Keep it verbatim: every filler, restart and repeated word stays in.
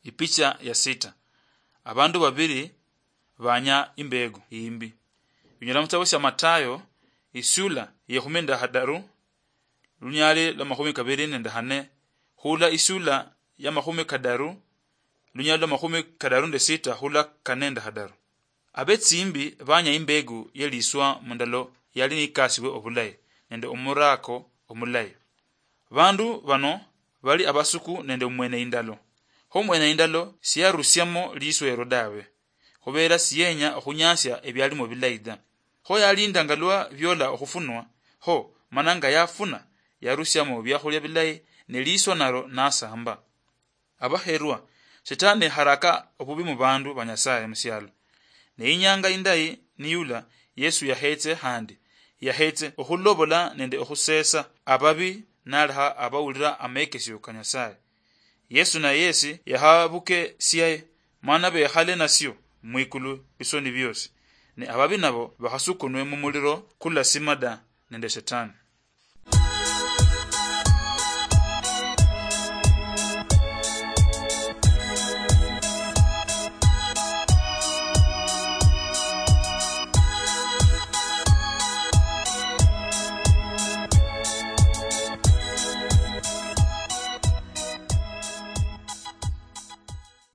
Ipicha ya sita. Abandu babiri banya imbegu imbi. Binyala muchitabo sia Matayo, isula yekhumi nende hadaru, lunyali lwa makhumi kabiri nende hane, hula isula ya makhumi kadaru, lunyali lwa makhumi kadaru nende sita hula kane nende hadaru. Abetsimbi banya imbegu yeliswa mundalo yali nikasibwe obulayi nende omurako omulayi. Bandu bano bali abasuku nende omwene indalo. Kho omwene indalo siyarusiamo liswa ero dawe, khubera siyenya okhunyasia ebialimo bilayi da. Kho yalinda nga lwa biola okhufunwa, ho mana nga yafuna, yarusiamo biakhulia bilayi, ne liswa naro nasamba. Abaherwa, Shetani haraka obubi mu bandu ba Nyasaye musialo. Ne inyanga indayi niyula, Yesu yahetse handi. Yahetse okhulobola nende okhusesa ababi naleha abawulira amekesio ka Nyasaye. Yesu na yesi yahabuke siaye, mana bekhale nasio mwikulu bisoni biosi. Ne ababi nabo bakhasukunwe mu muliro kulasima da nende Shetani.